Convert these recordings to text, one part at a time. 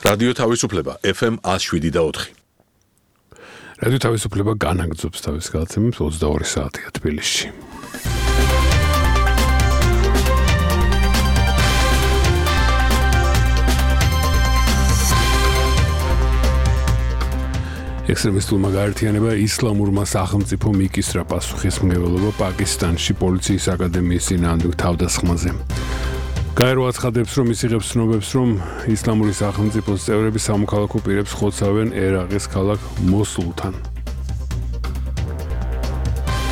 რადიო თავისუფლება FM 107.4. რადიო თავისუფლება განაგრძობს თავის გადაცემებს 22 საათია თბილისში. ექსტრემისტულმა გაერთიანება ისლამურმა სახელმწიფო მიკისრა პასუხისმგებლობა პაკისტანში პოლიციის აკადემიის წინააღმდეგ თავდასხმაზე. გაერო აცხადებს, რომ ის იღებს ცნობებს, რომ ისლამური სახელმწიფოს წევრები სამოქალაქო პირებს ხოცავენ ერაყის ქალაქ მოსულთან.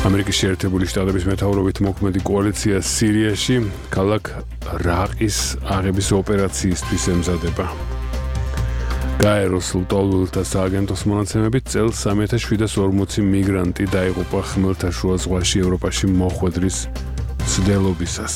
ამერიკის შეერთებული შტატების მეთაურობით მოქმედი კოალიცია სირიაში ქალაქ რაყის აღების ოპერაციისთვის ემზადება. გაეროს ლტოლვილთა სააგენტოს მონაცემებით წელს 3740 მიგრანტი დაიღუპა ხმელთაშუა ზღვაში ევროპაში მოხვედრის მცდელობისას.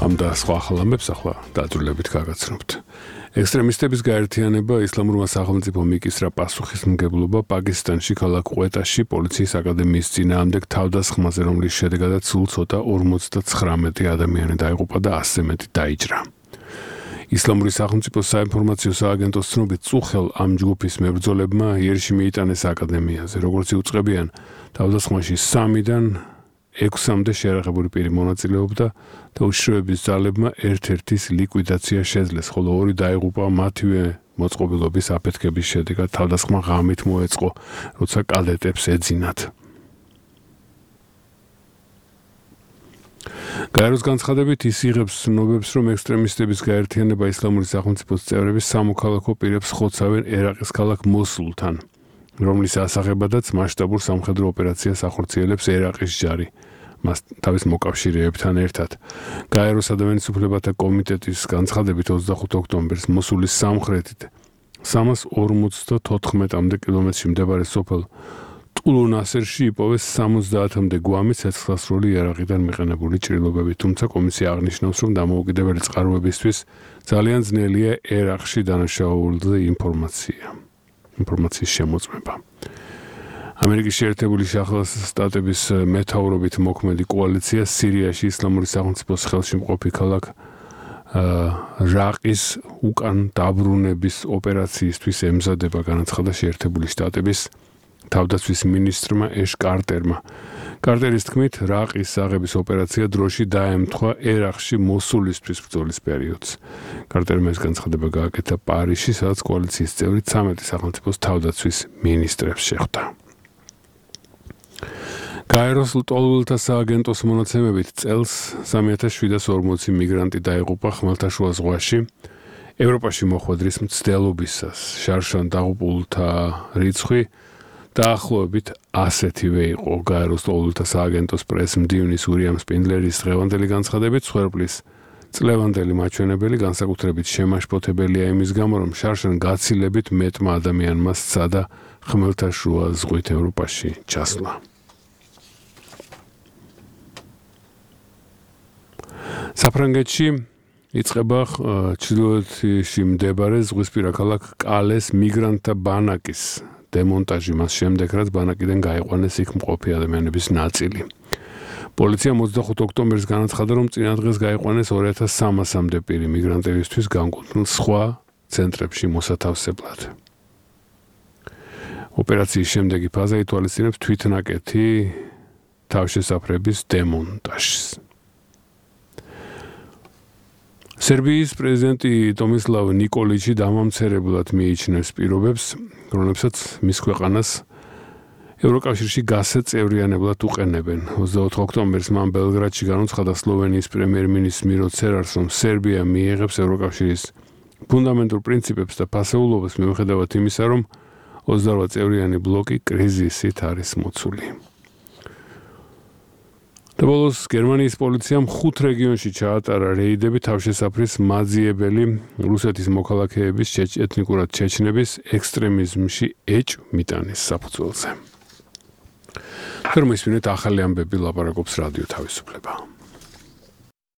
ამ და სხვა ხალხებს ახლა დაძრულებით გაგაცნობთ. ექსტრემისტების გაერთიანება ისლამურმა სახელმწიფო მიკისრა პასუხისმგებლობა პაკისტანში ქალაქ ყვეტაში პოლიციის აკადემიის წინააღმდეგ თავდასხმაზე, რომლის შედეგადაც სულ ცოტა 59 ადამიანი დაიღუპა და 100 მეტი დაიჭრა. ისლამური სახელმწიფოს საინფორმაციო სააგენტოს ცნობით წუხელ ამ ჯგუფის მებრძოლებმა იერიში მიიტანეს აკადემიაზე. როგორც იუწყებიან, თავდასხმაში 3-დან 6-მდე შეერაღებული პირი მონაწილეობდა და უშიშროების ძალებმა ერთ-ერთის ლიკვიდაცია შეძლეს, ხოლო 2 დაიღუპა მათივე მოწყობილობის აფეთქების შედეგად. თავდასხმა ღამით მოეწყო, როცა კადეტებს ეძინათ. გაეროს განცხადებით ის იღებს ცნობებს, რომ ექსტრემისტების გაერთიანება ისლამური სახელმწიფოს წევრები სამოქალაქო პირებს ხოცავენ ერაყის ქალაქ მოსულთან, რომლის ასაღებადაც მასშტაბურ სამხედრო ოპერაციას ახორციელებს ერაყის ჯარი. მას თავის მოკავშირეებთან ერთად. გაეროს ადამიანის უფლებათა კომიტეტის განცხადებით 25 ოქტომბერს მოსულის სამხრეთით 354-მდე კილომეტრში მდებარე სოფელ ტულუნასერში იპოვეს 70-მდე გვამი ცეცხლსასროლი ერაყიდან მიყენებული ჭრილობები, თუმცა კომისია აღნიშნავს, რომ დამოუკიდებელი წყაროებისთვის ძალიან ძნელია ერაყში დანაშაულზე ინფორმაციის შემოწმება. ამერიკის შეერთებული შტატების მეთაურობით მოქმედი კოალიცია სირიაში ისლამური სახელმწიფოს ხელში მყოფი ქალაქ რაყის უკან დაბრუნების ოპერაციისთვის ემზადება, განაცხადა შეერთებული შტატების თავდაცვის მინისტრმა ეშ კარტერმა. კარტერის თქმით, რაყის აღების ოპერაცია დროში დაემთხვა ერაყში მოსულისთვის ბრძოლის პერიოდს. კარტერმა ეს განცხადება გააკეთა პარიზში, სადაც კოალიციის წევრი 13 სახელმწიფოს თავდაცვის მინისტრებს შეხვდა. გაეროს ლტოლვილთა სააგენტოს მონაცემებით წელს 3740 მიგრანტი დაიღუპა ხმელთაშუა ზღვაში ევროპაში მოხვედრის მცდელობისას. შარშან დაღუპულთა რიცხვი დაახლოებით ასეთივე იყო. გაეროს ლტოლვილთა სააგენტოს პრეს-მდივნის უილიამ სპინდლერის დღევანდელი განცხადებით, მსხვერპლის წლევანდელი მაჩვენებელი განსაკუთრებით შემაშფოთებელია იმის გამო, რომ შარშან გაცილებით მეტმა ადამიანმა სცადა ხმელთაშუა ზღვით ევროპაში ჩასვლა. საფრანგეთში იწყება ჩრდილოეთში მდებარე ზღვისპირა ქალაქ კალეს მიგრანტთა ბანაკის დემონტაჟი, მას შემდეგ, რაც ბანაკიდან გაიყვანეს იქ მყოფი ადამიანების ნაწილი. პოლიცია 25 ოქტომბერს განაცხადა, რომ წინა დღეს გაიყვანეს 2300-მდე პირი მიგრანტებისთვის განკუთვნილ სხვა ცენტრებში მოსათავსებლად. ოპერაციის შემდეგი ფაზა ითვალისწინებს თვითნაკეთი თავშესაფრების დემონტაჟს. სერბიის პრეზიდენტი ტომისლავ ნიკოლიჩი დამამცირებლად მიიჩნევს პირობებს, რომლებსაც მის ქვეყანას ევროკავშირში გასაწევრიანებლად უყენებენ. 24 ოქტომბერს მან ბელგრადში განუცხადა სლოვენიის პრემიერ-მინისტრ მირო ცერარს, რომ სერბია მიიღებს ევროკავშირის ფუნდამენტურ პრინციპებს და ფასეულობას მიუხედავად იმისა, რომ 28 წევრიანი ბლოკი კრიზისით არის მოცული. და ბოლოს გერმანიის პოლიციამ 5 რეგიონში ჩაატარა რეიდები თავშესაფრის მაძიებელი რუსეთის მოქალაქეების ეთნიკურად ჩეჩნების ექსტრემიზმში ეჭვმიტანის საფუძველზე. თორმისმინეთ ახალი ამბები ლაპარაკობს რადიო თავისუფლება.